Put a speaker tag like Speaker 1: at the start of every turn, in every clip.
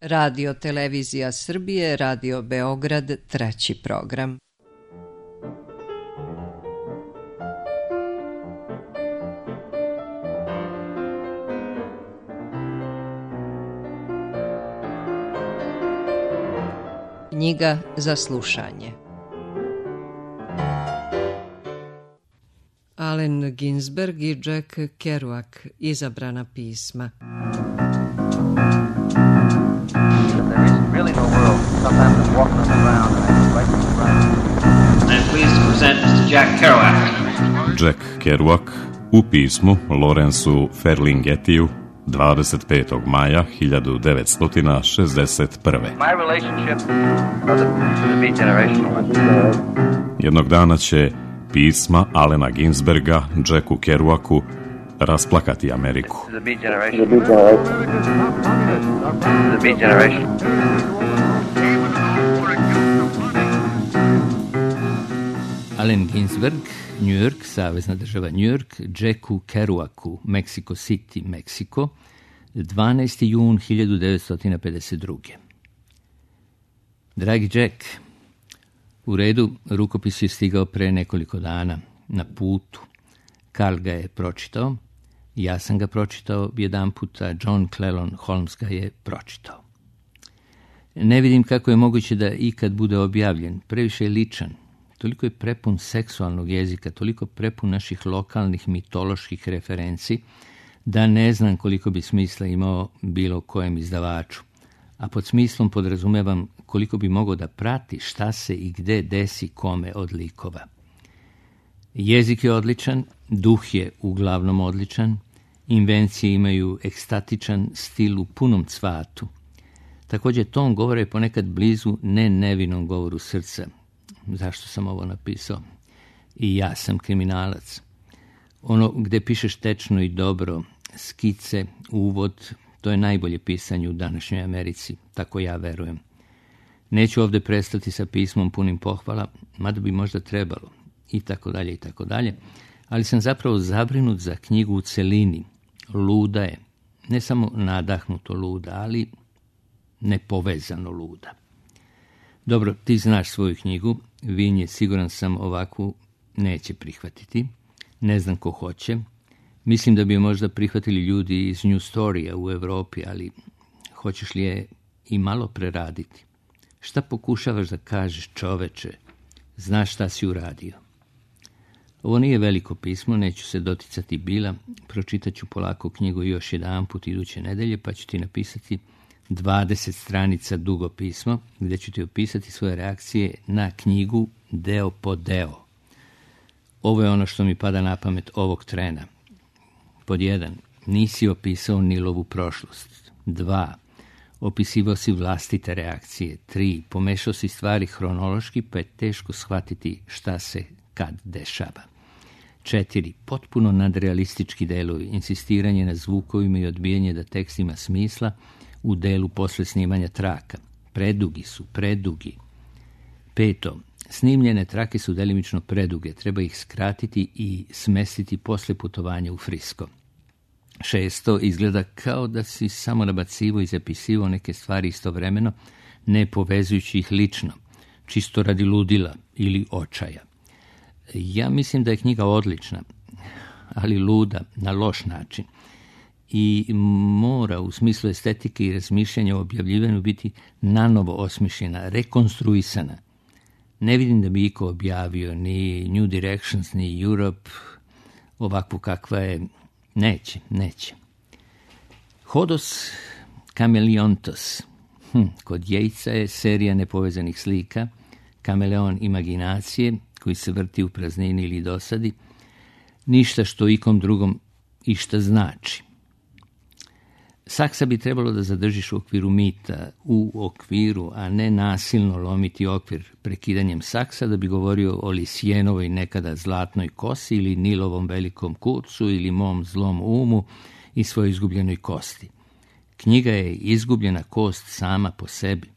Speaker 1: Radio Televizija Srbije, Radio Beograd, 3. program. Knjiga za slušanje. Allen Ginsberg i Jack Kerouac, izabrana pisma.
Speaker 2: Jack Kerouac u pismu Lawrenceu Ferlinghettiju 25. maja 1961. Jednog dana će pisma Allena Ginsberga Jacku Kerouacu rasplakati Ameriku.
Speaker 3: Allen Ginsberg, New York, savezna država New York, Jacku Kerouacu, Mexico City, Meksiko, 12. jun 1952. Dragi Jack, u redu, rukopis je stigao pre nekoliko dana, na putu. Karl ga je pročitao, ja sam ga pročitao jedan puta, John Clelon Holmes ga je pročitao. Ne vidim kako je moguće da ikad bude objavljen, previše je ličan. Toliko je prepun seksualnog jezika, toliko prepun naših lokalnih mitoloških referenci, da ne znam koliko bi smisla imao bilo kojem izdavaču. A pod smislom podrazumevam koliko bi mogao da prati šta se i gde desi kome od likova. Jezik je odličan, duh je uglavnom odličan, invencije imaju ekstatičan stil u punom cvatu. Također ton govora je ponekad blizu nevinom govoru srca. Zašto sam ovo napisao? I ja sam kriminalac. Ono gde pišeš tečno i dobro, skice, uvod, to je najbolje pisanje u današnjoj Americi, tako ja verujem. Neću ovdje prestati sa pismom punim pohvala, mada bi možda trebalo, i tako dalje, ali sam zapravo zabrinut za knjigu u celini. Luda je, ne samo nadahnuto luda, ali nepovezano luda. Dobro, ti znaš svoju knjigu, Vin je, siguran sam, ovakvu neće prihvatiti. Ne znam ko hoće. Mislim da bi je možda prihvatili ljudi iz New Storya u Evropi, ali hoćeš li je i malo preraditi? Šta pokušavaš da kažeš, čoveče? Znaš šta si uradio? Ovo nije veliko pismo, neću se doticati bila. Pročitat ću polako knjigu još jedan put iduće nedelje, pa ću ti napisati 20 stranica dugo pismo, gdje ću ti opisati svoje reakcije na knjigu deo po deo. Ovo je ono što mi pada na pamet ovog trena. Pod 1. Nisi opisao Nilovu prošlost. 2. Opisivao si vlastite reakcije. 3. Pomešao si stvari hronološki, pa je teško shvatiti šta se kad dešava. 4. Potpuno nadrealistički delovi, insistiranje na zvukovima i odbijanje da tekst ima smisla u delu posle snimanja traka. Predugi. 5. Snimljene trake su delimično preduge, treba ih skratiti i smestiti posle putovanja u Frisko. 6. Izgleda kao da si samo nabacivo i zapisivao neke stvari istovremeno, ne povezujući ih lično, čisto radi ludila ili očaja. Ja mislim da je knjiga odlična, ali luda, na loš način. I mora u smislu estetike i razmišljanja o objavljivanju biti nanovo osmišljena, rekonstruisana. Ne vidim da bi iko objavio ni New Directions, ni Europe, ovakvu kakva je. Neće. Hodos Kameleontos. Kod Jejca je serija nepovezanih slika, kameleon imaginacije, koji se vrti u praznini ili dosadi, ništa što ikom drugom išta znači. Saksa bi trebalo da zadržiš u okviru mita, u okviru, a ne nasilno lomiti okvir prekidanjem saksa da bi govorio o Lisjenovoj nekada zlatnoj kosi ili Nilovom velikom kurcu ili mom zlom umu i svojoj izgubljenoj kosti. Knjiga je izgubljena kost sama po sebi.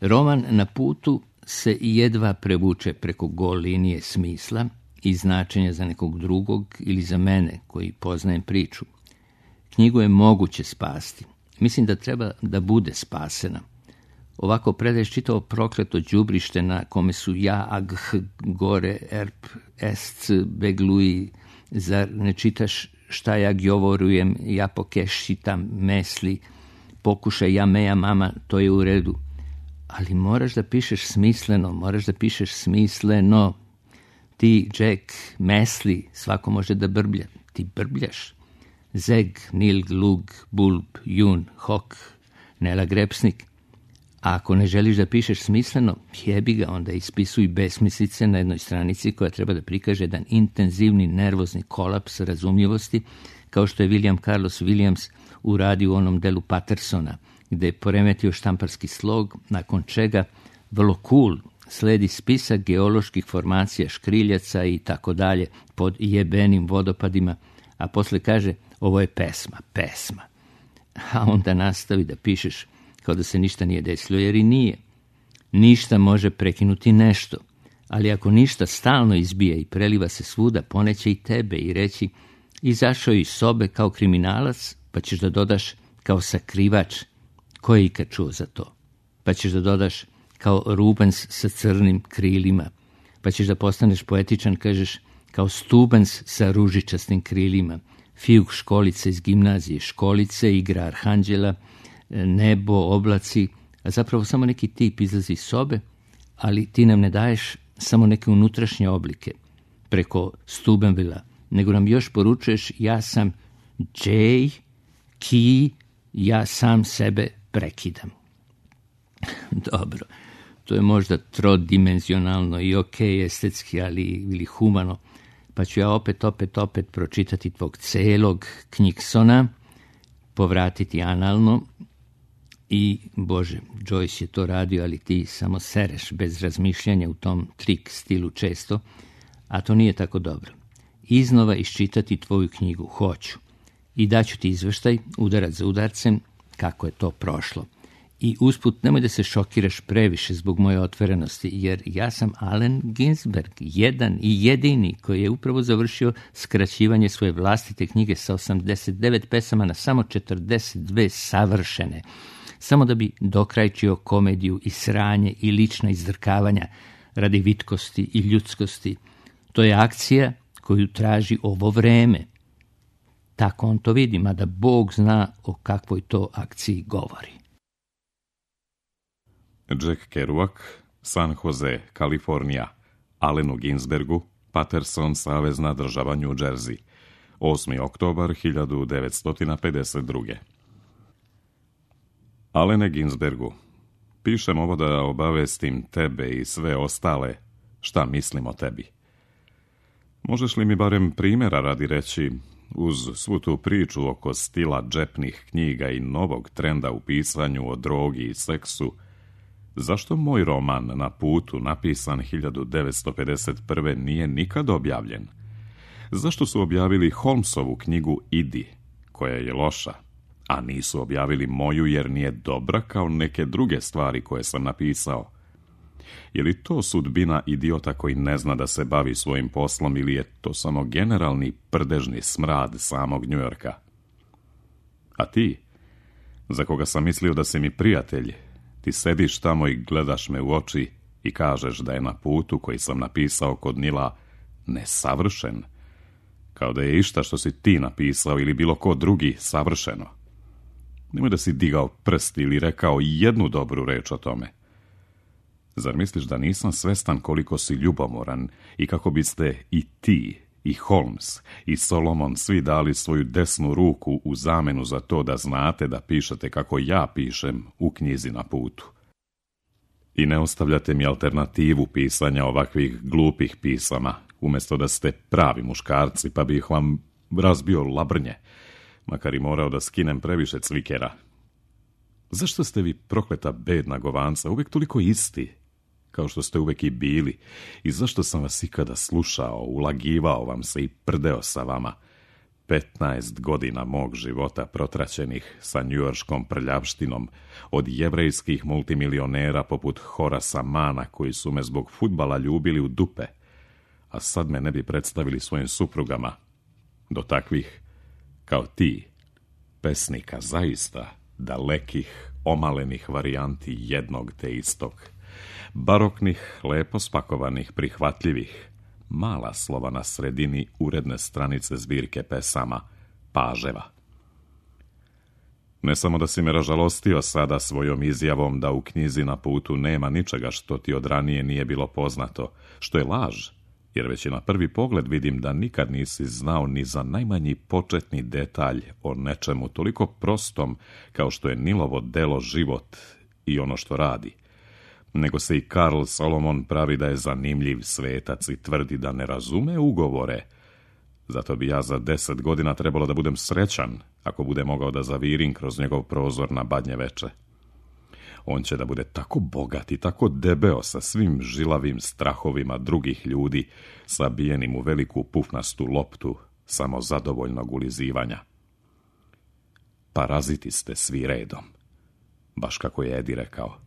Speaker 3: Roman Na putu se jedva prevuče preko gol linije smisla i značenja za nekog drugog ili za mene koji poznajem priču. Knjigu je moguće spasti. Mislim da treba da bude spasena. Ovako predaješ čitavo prokleto đubrište na kome su ja, agh, gore, erp, esc, begluji. Zar ne čitaš šta ja govorujem, ja pokešitam mesli, pokušaj ja meja mama, to je u redu. Ali moraš da pišeš smisleno. Ti, Jack, mesli, svako može da brblja. Ti brbljaš. Zeg, nilg, lug, bulb, jun, hok, nela grepsnik. A ako ne želiš da pišeš smisleno, jebi ga, onda ispisuj besmislice na jednoj stranici koja treba da prikaže jedan intenzivni nervozni kolaps razumljivosti, kao što je William Carlos Williams uradio u onom delu Pattersona, gde je poremetio štamparski slog, nakon čega vrlo cool sledi spisak geoloških formacija škriljaca i tako dalje pod jebenim vodopadima, a posle kaže ovo je pesma. A onda nastavi da pišeš kao da se ništa nije desilo, jer i nije. Ništa može prekinuti nešto, ali ako ništa stalno izbija i preliva se svuda, poneće i tebe i reći izašao iz sobe kao kriminalac, pa ćeš da dodaš kao sakrivač, ko je ikad čuo za to? Pa ćeš da dodaš kao Rubens sa crnim krilima, pa ćeš da postaneš poetičan, kažeš kao Stubens sa ružičastim krilima, Fiuk školica iz gimnazije, školice, igra arhanđela, nebo, oblaci, a zapravo samo neki tip izlazi iz sobe, ali ti nam ne daješ samo neke unutrašnje oblike preko Stubenvilla, nego nam još poručuješ ja sam J, Ki, ja sam sebe prekidam. Dobro, to je možda trodimenzionalno i estetski, ali ili humano, pa ću ja opet pročitati tvog celog Knjigsona, povratiti analno i, Bože, Joyce je to radio, ali ti samo sereš bez razmišljanja u tom trik stilu često, a to nije tako dobro. Iznova iščitati tvoju knjigu hoću i daću ti izveštaj, udarac za udarcem, kako je to prošlo. I usput nemoj da se šokiraš previše zbog moje otvorenosti, jer ja sam Allen Ginsberg, jedan i jedini koji je upravo završio skraćivanje svoje vlastite knjige sa 89 pesama na samo 42 savršene, samo da bi dokrajčio komediju i sranje i lična izdrkavanja radi vitkosti i ljudskosti. To je akcija koju traži ovo vreme. Tako on to vidi, mada Bog zna o kakvoj to akciji govori.
Speaker 2: Jack Kerouac, San Jose, Kalifornija, Allenu Ginsbergu, Patterson, savezna država New Jersey, 8. oktobar 1952. Allene Ginsbergu, pišem ovo da obavestim tebe i sve ostale šta mislim o tebi. Možeš li mi barem primjera radi reći, uz svu tu priču oko stila džepnih knjiga i novog trenda u pisanju o drogi i seksu, zašto moj roman Na putu, napisan 1951. nije nikad objavljen? Zašto su objavili Holmesovu knjigu Idi, koja je loša, a nisu objavili moju jer nije dobra kao neke druge stvari koje sam napisao? Je li to sudbina idiota koji ne zna da se bavi svojim poslom ili je to samo generalni prdežni smrad samog Njujorka? A ti, za koga sam mislio da si mi prijatelj, ti sediš tamo i gledaš me u oči i kažeš da je Na putu koji sam napisao kod Nila nesavršen, kao da je išta što si ti napisao ili bilo ko drugi savršeno. Nemoj da si digao prst ili rekao jednu dobru reč o tome. Zar misliš da nisam svestan koliko si ljubomoran i kako biste i ti, i Holmes, i Solomon svi dali svoju desnu ruku u zamenu za to da znate da pišete kako ja pišem u knjizi Na putu? I ne ostavljate mi alternativu pisanja ovakvih glupih pisama, umjesto da ste pravi muškarci, pa bih vam razbio labrnje, makar i morao da skinem previše cvikera. Zašto ste vi, prokleta bedna govanca, uvijek toliko isti, kao što ste uvijek i bili, i zašto sam vas ikada slušao, ulagivao vam se i prdeo sa vama? 15 godina mog života protraćenih sa njujorškom prljavštinom, od jevrejskih multimilionera poput Horasa Mana koji su me zbog fudbala ljubili u dupe, a sad me ne bi predstavili svojim suprugama, do takvih kao ti, pesnika zaista dalekih, omalenih varijanti jednog te istog. Baroknih, lepo spakovanih, prihvatljivih, mala slova na sredini uredne stranice zbirke pesama Paževa. Ne samo da si me ražalostio sada svojom izjavom da u knjizi Na putu nema ničega što ti od ranije nije bilo poznato, što je laž, jer već i na prvi pogled vidim da nikad nisi znao ni za najmanji početni detalj o nečemu toliko prostom kao što je Nilovo delo život i ono što radi. Nego se i Karl Solomon pravi da je zanimljiv svetac i tvrdi da ne razume ugovore. Zato bi ja za 10 godina trebalo da budem srećan ako bude mogao da zavirim kroz njegov prozor na Badnje veče. On će da bude tako bogat i tako debeo sa svim žilavim strahovima drugih ljudi, sabijenim u veliku pufnastu loptu samozadovoljnog ulizivanja. Paraziti ste svi redom, baš kako je Eddie rekao.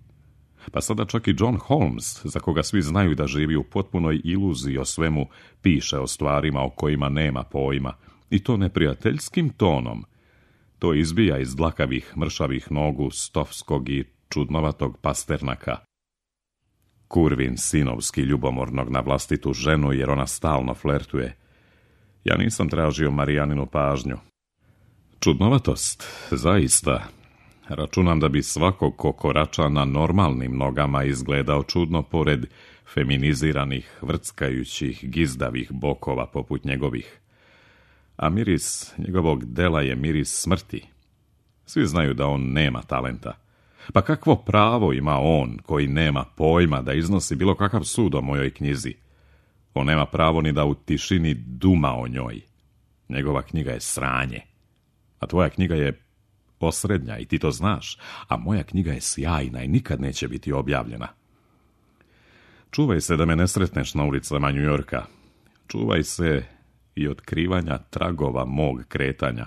Speaker 2: Pa sada čak i John Holmes, za koga svi znaju da živi u potpunoj iluziji o svemu, piše o stvarima o kojima nema pojma, i to neprijateljskim tonom. To izbija iz dlakavih, mršavih nogu Stovskog i čudnovatog Pasternaka. Kurvin sinovski ljubomornog na vlastitu ženu, jer ona stalno flertuje. Ja nisam tražio Marijaninu pažnju. Čudnovatost, zaista. Računam da bi svako ko korača na normalnim nogama izgledao čudno pored feminiziranih, vrckajućih, gizdavih bokova poput njegovih. A miris njegovog dela je miris smrti. Svi znaju da on nema talenta. Pa kakvo pravo ima on, koji nema pojma, da iznosi bilo kakav sud o mojoj knjizi? On nema pravo ni da u tišini duma o njoj. Njegova knjiga je sranje. A tvoja knjiga je osrednja i ti to znaš, a moja knjiga je sjajna i nikad neće biti objavljena. Čuvaj se da me ne sretneš na ulicama New Yorka. Čuvaj se i otkrivanja tragova mog kretanja.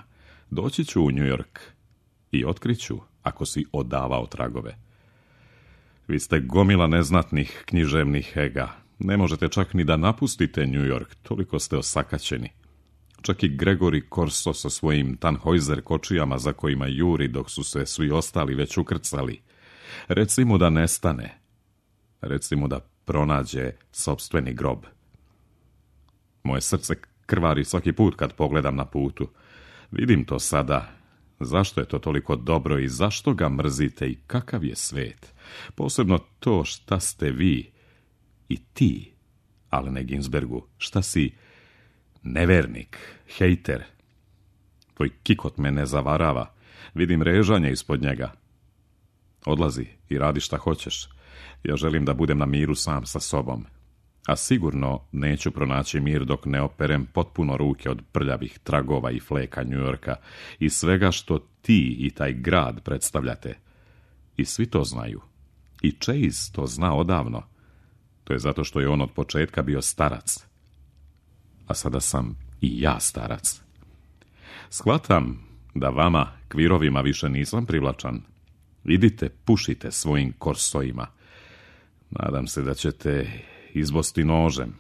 Speaker 2: Doći ću u New York i otkriću ako si odavao tragove. Vi ste gomila neznatnih književnih ega. Ne možete čak ni da napustite New York, toliko ste osakaćeni. Čak i Gregory Corso sa svojim Tannhäuser kočijama za kojima juri dok su se svi ostali već ukrcali. Reci mu da nestane. Reci mu da pronađe sopstveni grob. Moje srce krvari svaki put kad pogledam Na putu. Vidim to sada. Zašto je to toliko dobro i zašto ga mrzite i kakav je svet? Posebno to šta ste vi i ti, Alene Ginsbergu, šta si nevernik, hejter. Tvoj kikot me ne zavarava. Vidim režanje ispod njega. Odlazi i radi šta hoćeš. Ja želim da budem na miru sam sa sobom. A sigurno neću pronaći mir dok ne operem potpuno ruke od prljavih tragova i fleka New Yorka i svega što ti i taj grad predstavljate. I svi to znaju. I Chase to zna odavno. To je zato što je on od početka bio starac. A sada sam i ja starac. Shvatam da vama, kvirovima, više nisam privlačan. Idite, pušite svojim korsojima. Nadam se da ćete izbosti nožem.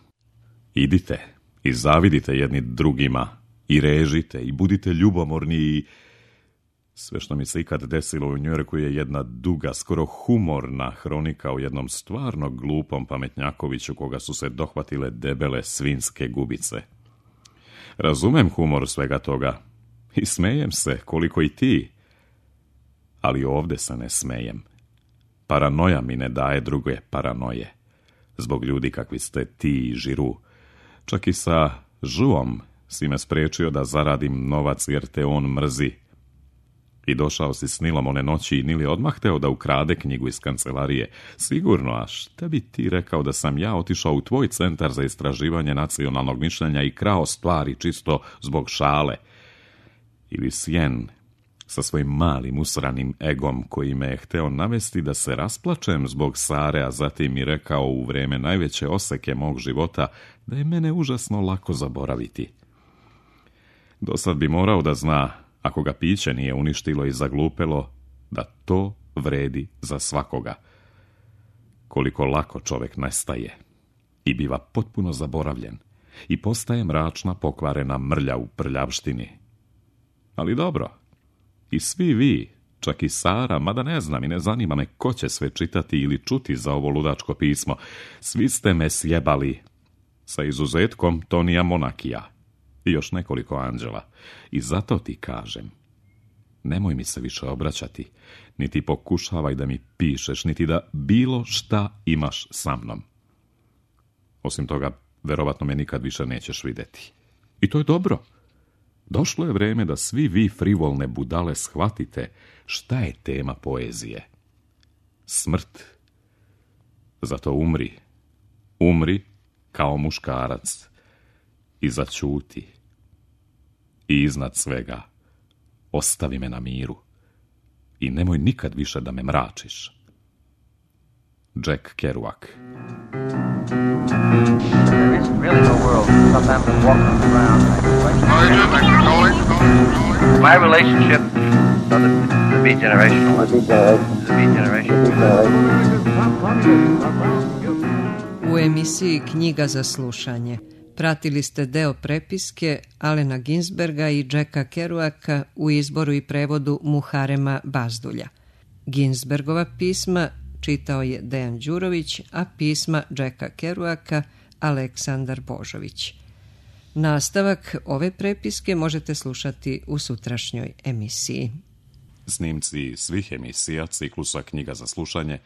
Speaker 2: Idite i zavidite jedni drugima i režite i budite ljubomorni i... Sve što mi se ikad desilo u New Yorku je jedna duga, skoro humorna hronika o jednom stvarno glupom pametnjakoviću koga su se dohvatile debele svinjske gubice. Razumem humor svega toga i smejem se koliko i ti, ali ovdje se ne smejem. Paranoja mi ne daje druge paranoje. Zbog ljudi kakvi ste ti i Žiru. Čak i sa Žuom si me spriječio da zaradim novac jer te on mrzi. I došao si s Nilom one noći i Nil je odmah hteo da ukrade knjigu iz kancelarije. Sigurno, a šta bi ti rekao da sam ja otišao u tvoj centar za istraživanje nacionalnog mišljenja i krao stvari čisto zbog šale? Ili Sjen sa svojim malim usranim egom koji me je hteo navesti da se rasplačem zbog Sare, a zatim mi rekao u vreme najveće oseke mog života da je mene užasno lako zaboraviti. Dosad bi morao da zna, ako ga piće nije uništilo i zaglupelo, da to vredi za svakoga. Koliko lako čovjek nestaje i biva potpuno zaboravljen i postaje mračna, pokvarena mrlja u prljavštini. Ali dobro, i svi vi, Čak i Sara, mada ne znam i ne zanima me ko će sve čitati ili čuti za ovo ludačko pismo. Svi ste me sjebali. Sa izuzetkom Tonija Monakija. I još nekoliko anđela. I zato ti kažem, nemoj mi se više obraćati, niti pokušavaj da mi pišeš, niti da bilo šta imaš sa mnom. Osim toga, verovatno me nikad više nećeš vidjeti. I to je dobro. Došlo je vreme da svi vi frivolne budale shvatite šta je tema poezije. Smrt. Zato umri. Umri kao muškarac. I zaćuti. I iznad svega, ostavi me na miru. I nemoj nikad više da me mračiš. Jack Kerouac.
Speaker 4: There isn't really no world. Sometimes I'm walking around like my relationship to the beat generation. The beat generation.
Speaker 1: U emisiji Knjiga za slušanje pratili ste deo prepiske Alena Ginsberga i Jacka Kerouaka u izboru i prevodu Muharema Bazdulja. Ginsbergova pisma čitao je Dejan Đurović, a pisma Jacka Kerouaka Aleksandar Božović. Nastavak ove prepiske možete slušati u sutrašnjoj emisiji.
Speaker 2: Snimci svih emisija ciklusa Knjiga za slušanje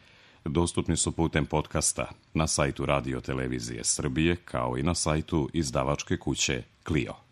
Speaker 2: dostupni su putem podcasta na sajtu Radio Televizije Srbije, kao i na sajtu izdavačke kuće Clio.